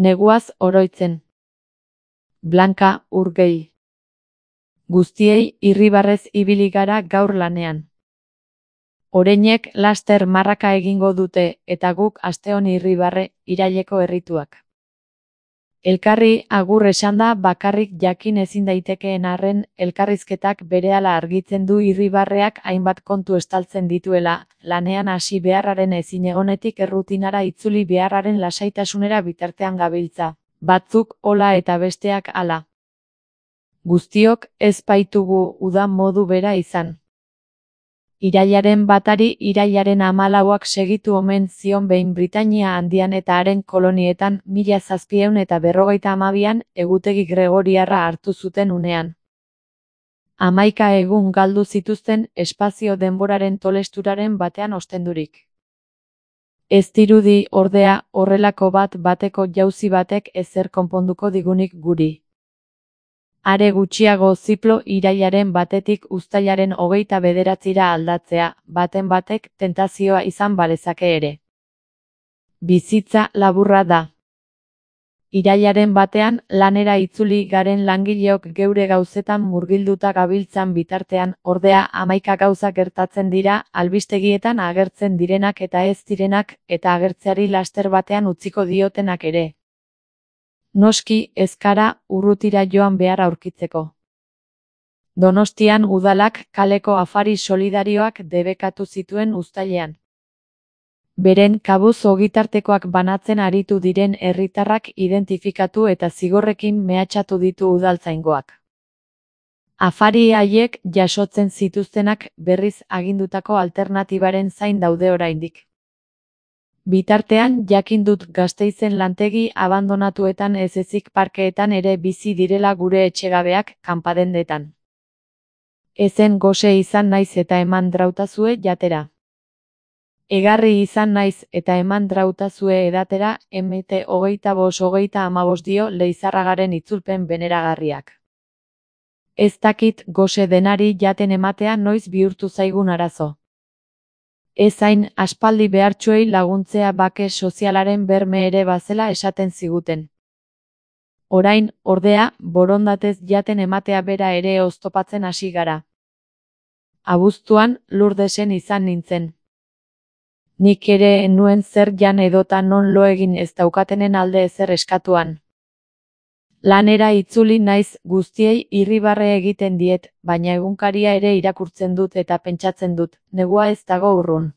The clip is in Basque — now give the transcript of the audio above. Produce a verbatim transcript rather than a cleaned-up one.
Neguaz oroitzen. Blanka Urgei. Guztiei irribarrez ibili gara gaur lanean. Oreinek laster marraka egingo dute eta guk asteon irribarre, iraileko errituak. Elkarri agur esanda bakarrik jakin ezin daitekeen arren, elkarrizketak berehala argitzen du irribarreak hainbat kontu estaltzen dituela, lanean hasi beharraren ezinegonetik errutinara itzuli beharraren lasaitasunera bitartean gabiltza, batzuk hola eta besteak hala. Guztiok ez baitugu uda modu bera izan. Irailaren batari irailaren hamalauak segitu omen zion behin Britainia Handian eta haren kolonietan mila zazpiehun eta berrogeita hamabian egutegi gregoriarra hartu zuten unean. Hamaika egun galdu zituzten espazio denboraren tolesturaren batean ostendurik. Ez dirudi, ordea, horrelako bat bateko jauzi batek ezer konponduko digunik guri. Are gutxiago ziplo irailaren batetik uztailaren hogeita bederatzira aldatzea, baten batek tentazioa izan balezake ere. Bizitza laburra da. Irailaren batean lanera itzuli garen langileok geure gauzetan murgilduta gabiltzan bitartean, ordea hamaika gauza gertatzen dira, albistegietan agertzen direnak eta ez direnak, eta agertzeari laster batean utziko diotenak ere. Noski, ez gara urrutira joan behar aurkitzeko. Donostian udalak kaleko afari solidarioak debekatu zituen uztailean. Beren kabuz ogitartekoak banatzen aritu diren herritarrak identifikatu eta zigorrekin mehatxatu ditu udaltzaingoak. Afari haiek jasotzen zituztenak berriz agindutako alternatibaren zain daude oraindik. Bitartean jakin dut Gasteizen lantegi abandonatuetan ez ezik parkeetan ere bizi direla gure etxegabeak kanpadendetan. Ezen gose izan naiz eta eman drautazue jatera. Egarri izan naiz eta eman drautazue edatera, emete hogeita bos hogeita amabos dio Leizarragaren itzulpen beneragarriak. Ez dakit gose denari jaten ematea noiz bihurtu zaigun arazo. Ez hain aspaldi behartsuei laguntzea bake sozialaren berme ere bazela esaten ziguten. Orain, ordea, borondatez jaten ematea bera ere oztopatzen hasi gara. Abuztuan, Lurdesen izan nintzen. Nik ere nuen zer jan edota non lo egin ez daukatenen alde ezer eskatuan. Lanera itzuli naiz, guztiei irribarre egiten diet, baina egunkaria ere irakurtzen dut eta pentsatzen dut, negua ez dago urrun.